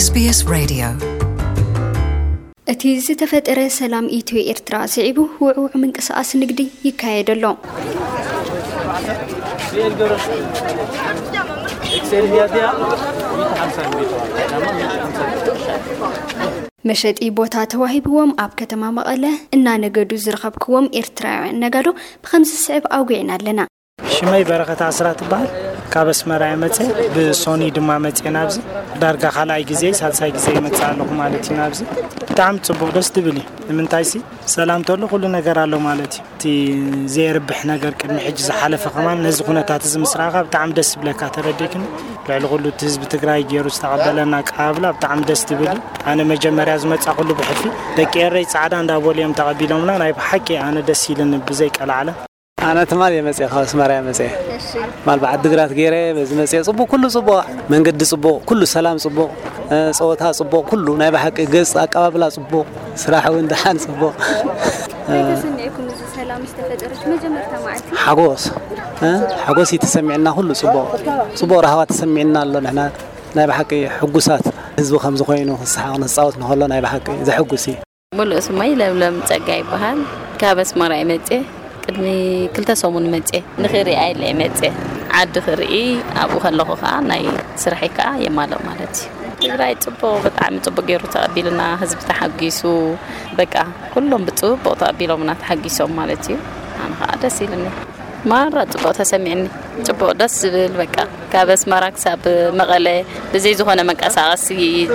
SBS Radio. እቲ ዝተፈጠረ ሰላም ኢትዮ ኤርትራ ስዒቡ ውዕውዕ ምንቅስቓስ ንግዲ ይካየድ ኣሎ። መሸጢ ቦታ ተዋሂብዎም ኣብ ከተማ መቐለ እናነገዱ ዝረኸብክዎም ኤርትራውያን ነጋዶ ብኸምዚ ዝስዕብ ኣውጊዕና ኣለና። ሽመይ በረኸት ኣስራት ትበሃል። ካብ ኣስመራ እየ መፅየ፣ ብሶኒ ድማ መፅየ ናብዚ። ዳርጋ ካልኣይ ግዜ ሳልሳይ ግዜ ይመፅእ ኣለኹ ማለት እዩ ናብዚ። ብጣዕሚ ፅቡቕ፣ ደስ ትብል እዩ። ንምንታይ ሲ ሰላም ተሎ ኩሉ ነገር ኣሎ ማለት እዩ። እቲ ዘየርብሕ ነገር ቅድሚ ሕጂ ዝሓለፈ ከማን ነዚ ኩነታት እዚ ምስ ረኣኻ ብጣዕሚ ደስ ዝብለካ፣ ተረዲእክኒ። ልዕሊ ኩሉ እቲ ህዝቢ ትግራይ ገይሩ ዝተቐበለና ኣቀባብላ ብጣዕሚ ደስ ትብል እዩ። ኣነ መጀመርያ ዝመፃ ኩሉ ብሕልፊ ደቂ ኤረይ ፃዕዳ እንዳበሉ እዮም ተቐቢሎምና። ናይ ብሓቂ ኣነ ደስ ኢልኒ ብዘይ ቀላዕለ። ኣነ ትማል እየ መፅየ፣ ካብ ኣስመራ እየ መፅየ። ማል ብዓዲ ግራት ገይረ በዚ መፅየ። ፅቡቅ፣ ኩሉ ፅቡቅ፣ መንገዲ ፅቡቅ፣ ኩሉ ሰላም ፅቡቅ፣ እ፣ ፀወታ ፅቡቅ፣ ኩሉ ናይ ብሓቂ ገፅ ኣቀባብላ ፅቡቅ፣ ስራሕ እውን ደሓን ፅቡቅ። እንታይ ተሰሚዕኩም እዚ ሰላም ዝተፈጠረች መጀመርታ መዓልቲ? ሓጎስ፣ እ፣ ሓጎስ እዩ ተሰሚዕና፣ ኩሉ ፅቡቅ፣ ፅቡቅ ራህዋ ተሰሚዕና ኣሎ። ንሕና ናይ ብሓቂ ሕጉሳት ህዝቢ ከም ዝኾይኑ ክስሓቕ ንፃወት ንኸሎ ናይ ብሓቂ ዘሕጉስ እዩ። ሙሉእ ስመይ ለምለም ጸጋ ይበሃል። ካብ ኣስመራ እየ መጽየ። ቅድሚ ክልተ ሰሙን መጽየ። ንኽሪኣ ኢለ እየ መጽየ። ዓዲ ክርኢ ኣብኡ ከለኹ ኸኣ ናይ ስራሐይ ከኣ የማልእ ማለት እዩ። ትግራይ ጽቡቕ፣ ብጣዕሚ ጽቡቕ ገይሩ ተቐቢሉና፣ ህዝቢ ተሓጒሱ፣ በቃ ኩሎም ብጽቡቕ ተቐቢሎምና ተሓጒሶም ማለት እዩ። ኣነ ኸኣ ደስ ኢሉኒ። ማራ ጽቡቕ ተሰሚዕኒ። ጽቡቕ ደስ ዝብል በቃ ካብ ኣስመራ ክሳብ መቐለ ብዘይ ዝኾነ መንቀሳቐሲ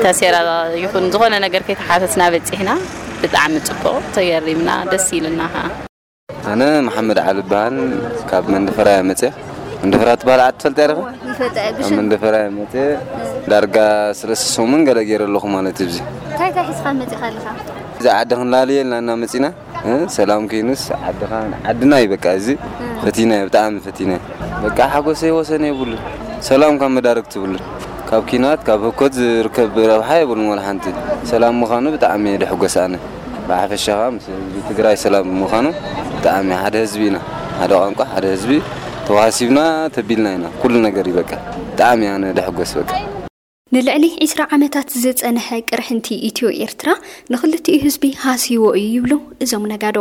ተሴራ ይኹን ዝኾነ ነገር ከይተሓተትና በጺሕና። ብጣዕሚ ጽቡቕ ተገሪምና ደስ ኢሉና ኸኣ። ኣነ መሓመድ ዓሊ እበሃል። ካብ መንደፈራ እየ መጽየ። መንደፈራ ትበሃል ዓዲ ትፈልጥ እያ ዲኻ? ይፈልጣ እየ፣ ካብ ብሽም። መንደፈራ እየ መጽየ። ዳርጋ ሰለስተ ሰሙን ገለ ገይረ ኣለኹ ማለት እዩ። እዚ እንታይ እንታይ ሒዝካ መጺኻ ኣለኻ? እዚ ዓዲ ክንላልየ ኢልና እና መጺና። እ፣ ሰላም ከይኑስ ዓድኻ፣ ዓድና እዩ በቃ። እዚ ፈቲና፣ ብጣዕሚ ፈቲና። በቃ ሓጎሰይ ወሰን የብሉን። ሰላም ካብ መዳርግ ትብሉን። ካብ ኪናት፣ ካብ ህኮት ዝርከብ ረብሓ የብሉን ወላ ሓንቲ። ሰላም ምዃኑ ብጣዕሚ እየ ድሕጎስ ኣነ። ብሓፈሻኻ ምስ ህዝቢ ትግራይ ሰላም ምዃኑ ብጣዕሚ ሓደ ህዝቢ ኢና። ሓደ ቋንቋ፣ ሓደ ህዝቢ ተዋሃሲብና ተቢልና ኢና። ኩሉ ነገር እዩ በቃ። ብጣዕሚ ኣነ ድሕጎስ በቃ። ንልዕሊ ዒስራ ዓመታት ዝጸንሐ ቅርሕንቲ ኢትዮ ኤርትራ ንኽልቲኡ ህዝቢ ሃስይዎ እዩ ይብሉ እዞም ነጋዶ።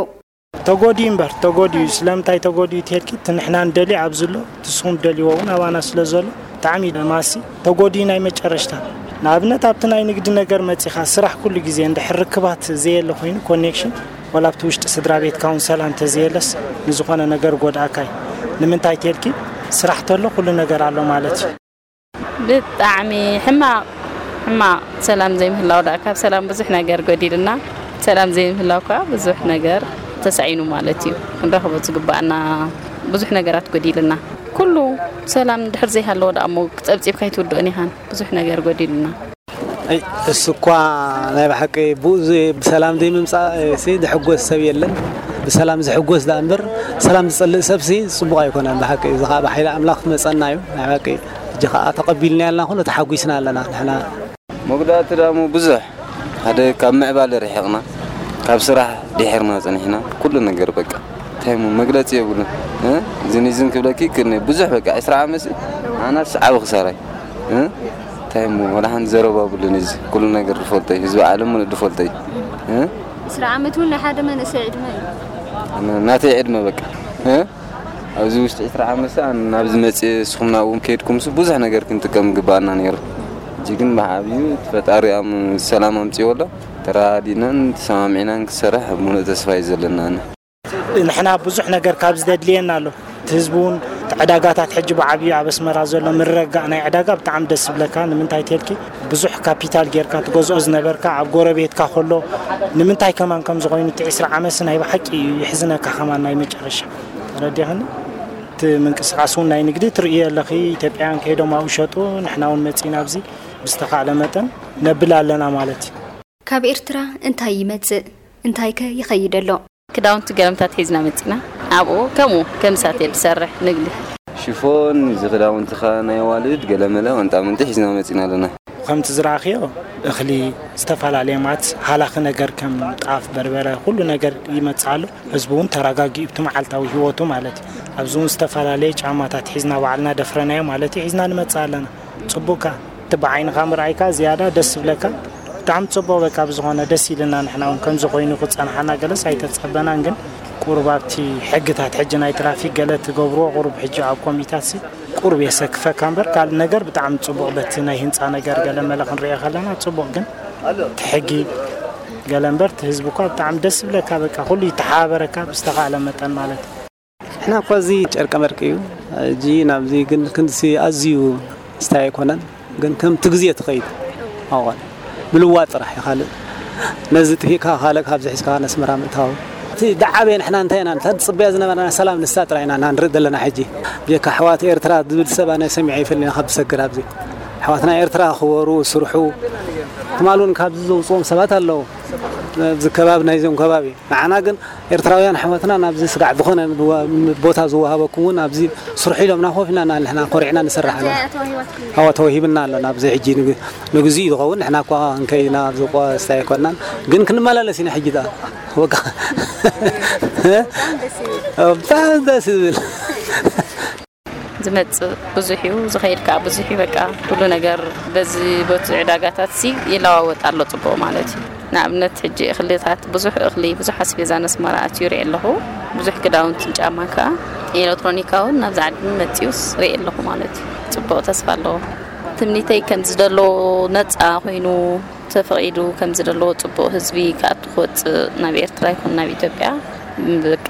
ተጎድዩ እምበር፣ ተጎድዩ። ስለምንታይ ተጎድዩ ተልኪ? እቲ ንሕና ንደልዮ ኣብዚ ኣሎ፣ እቲ ንስኹም ትደልይዎ እውን ኣባና ስለ ዘሎ፣ ብጣዕሚ እዩ ደማሲ ተጎድዩ ናይ መጨረሽታ። ንኣብነት ኣብቲ ናይ ንግዲ ነገር መጺኻ ስራሕ ኩሉ ግዜ እንድሕር ርክባት ዘየለ ኮይኑ፣ ኮኔክሽን፣ ወላ ኣብቲ ውሽጢ ስድራ ቤትካ እውን ሰላም ተዘየለስ ንዝኾነ ነገር ጎድኣካ እዩ። ንምንታይ ተልኪ? ስራሕ ተሎ ኩሉ ነገር ኣሎ ማለት እዩ። ብጣዕሚ ሕማቕ፣ ሕማቕ ሰላም ዘይምህላው ደኣ ካብ ሰላም ብዙሕ ነገር ጎዲልና፣ ሰላም ዘይምህላው ከኣ ብዙሕ ነገር ተሳኢኑ ማለት እዩ። ክንረኽቦ ዝግባኣና ብዙሕ ነገራት ጎዲልና። ኩሉ ሰላም እንድሕር ዘይሃለወ ደኣ እሞ ጸብጺብካ ኣይትውድኦን ኢኻን። ብዙሕ ነገር ጎዲልና። ኣይ፣ እሱ እኳ ናይ ብሓቂ ብኡ ዘይ-፣ ብሰላም ዘይምምጻእ፣ እ፣ ሲ ድሕጎስ ሰብ የለን። ብሰላም ዝሕጎስ ደኣ እምበር፣ ሰላም ዝጸልእ ሰብ ሲ ጽቡቕ ኣይኮነን። ብሓቂ እዚ ኸኣ ብሓይሊ ኣምላኽ ክመጸና እዩ። ናይ ብሓቂ ሕጂ ኸኣ ተቐቢልና ያልና፣ ኩሉ ተሓጒስና ኣለና ንሕና። መጉዳእቲ ደኣ እሞ ብዙሕ፣ ሓደ ካብ ምዕባለ ርሒቕና፣ ካብ ስራሕ ድሒርና ጸኒሕና፣ ኩሉ ነገር በቃ። እንታይ እሞ መግለጺ የብሉን። እ? እዝን እዝን ክብለኪ ክነ ብዙሕ በቃ ዒስራ ዓመት ሲ ኣናስ ዓቢ ክሳራይ። እ? እንታይ እሞ ወላ ሓንቲ ዘረባ የብሉን። እዚ ኩሉ ነገር ዝፈልጦ እዩ። ህዝቢ ዓለም ሙሉእ ዝፈልጦ እዩ። እ? ዒስራ ዓመት እውን ናይ ሓደ መንእሰይ ዕድመ እዩ። ን-፣ ናተይ ዕድመ በቃ። እ? ኣብዚ ውሽጢ ዒስራ ዓመት ሲ ኣነ ናብዚ መጽየ፣ ንስኹም ናብኡ ከይድኩም ሲ ብዙሕ ነገር ክንጥቀም ግባኣና ነይሩ። ሕጂ ግን ብዓብዩ እቲ ፈጣሪ ኣም-፣ ሰላም ኣምጽእዎ ኣሎ። ተረዳዲእናን ተሰማሚዕናን ክሰርሕ ሙሉእ ተስፋ እዩ ዘለና ኣነ። ንሕና ብዙሕ ነገር ካብዚ ዘድልየና ኣሎ። እቲ ህዝቢ እውን እቲ ዕዳጋታት ሕጂ ብዓብዩ ኣብ ኣስመራ ዘሎ ምርግጋእ ናይ ዕዳጋ ብጣዕሚ ደስ ዝብለካ። ንምንታይ ተልኪ ብዙሕ ካፒታል ጌርካ ትገዝኦ ዝነበርካ ኣብ ጎረቤትካ ከሎ ንምንታይ ከማን ከም ዝኾይኑ እቲ ዒስራ ዓመት ናይ ብሓቂ እዩ የሕዝነካ ከማን ናይ መጨረሻ። ተረዲእኽኒ? እቲ ምንቅስቃስ እውን ናይ ንግዲ ትርእዮ ኣለኺ። ኢትዮጵያውያን ከይዶም ኣብኡ ሸጡ፣ ንሕና እውን መጺእና ኣብዚ ብዝተኻእለ መጠን ነብል ኣለና ማለት እዩ። ካብ ኤርትራ እንታይ ይመጽእ? እንታይከ ይኸይድ ኣሎ? ክዳውንቲ ገለምታት ሒዝና መጺና። ኣብኡ ከምኡ ከም ሳቴል ዝሰርሕ ንግዲ። ሽፎን፣ እዚ ክዳውንትኻ ናይ ኣዋልድ ገለመለ ቀንጣመንጢ ሒዝና መጺና ኣለና። ከምቲ ዝረኣኽዮ እኽሊ፣ ዝተፈላለየ ማለት ሃላኺ ነገር ከም ጣፍ፣ በርበረ፣ ኩሉ ነገር ይመጽእ ኣሎ። ህዝቢ እውን ተረጋጊኡ ኣብቲ መዓልታዊ ህይወቱ ማለት እዩ። ኣብዚ እውን ዝተፈላለየ ጫማታት ሒዝና ባዕልና ደፍረናዮ ማለት እዩ፣ ሒዝና ንመጽእ ኣለና። ጽቡቕካ። እቲ ብዓይንኻ ምርኣይካ ዝያዳ ደስ ዝብለካ። ብጣዕሚ ጽቡቕ። በቃ ብዝኾነ ደስ ኢልና፣ ንሕና እውን ከምዚ ኮይኑ ክጸንሓና ገለስ ኣይተጸበናን። ግን ቁሩብ ኣብቲ ሕግታት ሕጂ ናይ ትራፊክ ገለ ትገብርዎ ቁሩብ ሕጂ ኣብ ኮሚታት ሲ ቁሩብ የሰክፈካ እምበር ካልእ ነገር ብጣዕሚ ጽቡቕ። በቲ ናይ ህንጻ ነገር ገለ መለ ክንሪኦ ከለና ጽቡቕ። ግን እቲ ሕጊ ገለ እምበር እቲ ህዝቢ እኳ ብጣዕሚ ደስ ዝብለካ። በቃ ኩሉ ይተሓባበረካ ብዝተኻእለ መጠን ማለት እዩ። ንሕና እኳ እዚ ጨርቀ መርቂ እዩ። ሕጂ ናብዚ ግን ክንድሲ ኣዝዩ ስታይ ኣይኮነን። ግን ከምቲ ግዜ ትኸይድ ኣዋል ምልዋጥ ጥራሕ እዩ። ካልእ ነዚ ጥፊእካ ካልእ ካብዚ ሒዝካ ነስመራ ምእታው። እቲ ደዓበየ ንሕና እንታይ ኢና ንታ ጽበያ ዝነበረና ሰላም ንሳ ጥራይ ኢና ንርኢ ዘለና። ሕጂ ብጀካ ኣሕዋት ኤርትራ ዝብል ሰብ ኣነ ሰሚዐ ይፈልኒ ካብ ዝሰግር ኣብዚ ኣሕዋትና ኤርትራ ክበሩ ስርሑ ትማል እውን ካብዚ ዘውፅዎም ሰባት ኣለዉ። ኣብዚ ከባቢ ናይዞም ከባቢ ንዓና ግን ኤርትራውያን ኣሕዋትና ናብዚ ስጋዕ ዝኾነ ቦታ ዝወሃበኩም እውን ኣብዚ ስርሑ ኢሎምና ኮፍ ኢልና ንሕና ኮሪዕና ንሰርሕ ኣለና። ኣዋ ተዋሂብና ኣሎ ናብዚ ሕጂ ንግ- ንግዚኡ ዝኸውን ንሕና እኳ እንከይና ኣብዚ ቆ ስታይ ኣይኮንናን ግን ክንመላለስ ኢና። ሕጂ ዳ ወቃ ብጣዕሚ ደስ ዝብል ዝመጽእ ብዙሕ እዩ፣ ዝኸይድ ከዓ ብዙሕ እዩ። በቃ ኩሉ ነገር በዚ በቲ ዕዳጋታት ሲ ይለዋወጥ ኣሎ ጽቡቕ ማለት እዩ። ንኣብነት ሕጂ እኽልታት ብዙሕ እኽሊ ብዙሕ ኣስቤዛ ነስመራ ኣትዩ ርኢ ኣለኹ። ብዙሕ ክዳውንትን ጫማ ከዓ ኤሌክትሮኒካውን ናብዚ ዓዲ መፅዩስ ርኢ ኣለኹ ማለት እዩ። ጽቡቕ ተስፋ ኣለዎ። ትምኒተይ ከም ዝደለዎ ነፃ ኮይኑ ተፈቒዱ ከም ዝደለዎ ጽቡቕ ህዝቢ ክኣቱ ክወፅእ ናብ ኤርትራ ይኹን ናብ ኢትዮጵያ በቃ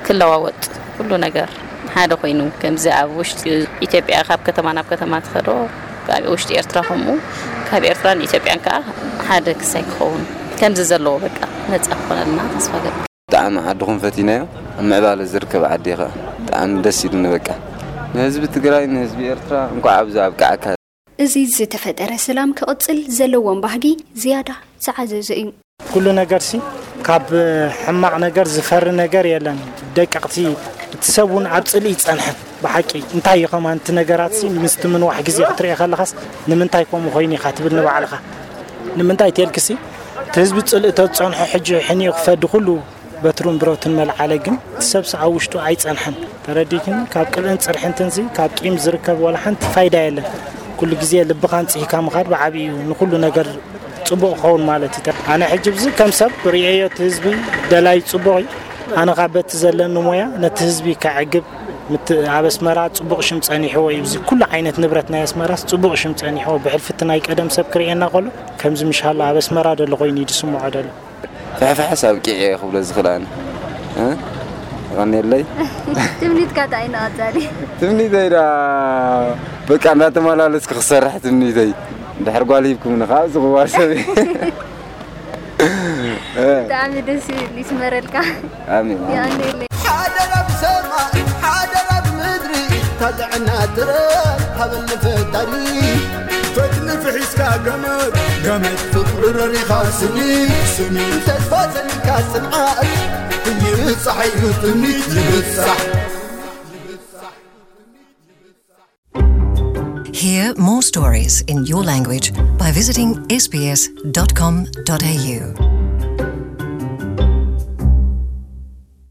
ክለዋወጥ ኩሉ ነገር ሓደ ኮይኑ ከምዚ ኣብ ውሽጢ ኢትዮጵያ ካብ ከተማ ናብ ከተማ ትኸዶ ኣብ ውሽጢ ኤርትራ ከምኡ ካብ ኤርትራን ኢትዮጵያን ከዓ ሓደ ክሳይ ክኸውን ከምዚ ዘለዎ በቃ ነፃ ክኾነልና ተስፋ ገብር። ብጣዕሚ ዓድኹም ፈቲናዮ ኣብ ምዕባለ ዝርከብ ዓዲ ኢኻ ብጣዕሚ ደስ ኢሉኒ በቃ ንህዝቢ ትግራይ ንህዝቢ ኤርትራ እንኳዕ ኣብዚ ኣብቅዓካ። እዚ ዝተፈጠረ ሰላም ክቕጽል ዘለዎም ባህጊ ዝያዳ ዝዓዘዘ እዩ። ኩሉ ነገርሲ ካብ ሕማቕ ነገር ዝፈሪ ነገር የለን። ደቀቕቲ እቲ ሰብ እውን ኣብ ጽልኢ ይጸንሐን ብሓቂ እንታይ እዩ ከማን እቲ ነገራትሲ ምስቲ ምንዋሕ ግዜ ክትርኢ ከለኻስ ንምንታይ ከምኡ ኮይኑ ኢኻ ትብል ንባዕልኻ ንምንታይ ተልክሲ እቲ ህዝቢ ጽልኢ ተዝጸንሖ ሕጂ ሕኒኡ ክፈዲ ኩሉ በትሩን ብረቱን መልዓለ ግን እቲ ሰብሲ ኣብ ውሽጡ ኣይጸንሐን ተረዲክኒ ካብ ቅብእን ጽርሕንትንሲ ካብ ቂም ዝርከብ ወላ ሓንቲ ፋይዳ የለን ኩሉ ግዜ ልብኻን ጽሂካ ምኻድ ብዓብዩ ንኩሉ ነገር ጽቡቕ ክኸውን ማለት እዩ ኣነ ሕጂ ብዚ ከም ሰብ ርእየዮ እቲ ህዝቢ ደላይ ጽቡቕ እዩ ኣነ ካብ በቲ ዘለኒ ሞያ ነቲ ህዝቢ ከዕግብ ኣብ ኣስመራ ጽቡቕ ሽም ጸኒሕዎ እዩ እዚ ኩሉ ዓይነት ንብረት ናይ ኣስመራስ ጽቡቕ ሽም ጸኒሕዎ ብሕልፊ እቲ ናይ ቀደም ሰብ ክርእየና ከሎ ከምዚ ምሻሎ ኣብ ኣስመራ ደሎ ኮይኑ እዩ ዝስምዖ ደሎ ፍሕፍሕስ ኣብቂዐ እየ ክብሎ ዝኽእል ኣነ። እ? የቐንየለይ። ትምኒትካ እንታይ እዩ ንቐፃሊ? ትምኒተይ ዳ በቃ እንዳተመላለስኩ ክሰርሕ ትምኒተይ። እንድሕር ጓል ሂብኩምኒ ከዓ ኣብዚ ቅዋር ሰብ እየ። ብጣዕሚ ደስ ይብል ይስመረልካ። ኣሜን። የቐንየለይ። ሓደራ ብሰማይ ሓደራ ብምድሪ እታ ጥዕና ጥረ ሃበኒ ፈጣሪ። ፈትሊ ፍሒስካ ገመድ ገመድ ፍቕሪ ረሪኻ ስኒ ስኒ ተስፋ ሰኒካ ጽንዓት ይብጻሕ እዩ ትምኒት ይብጻሕ። Hear more stories in your language by visiting S B S dot com dot A U.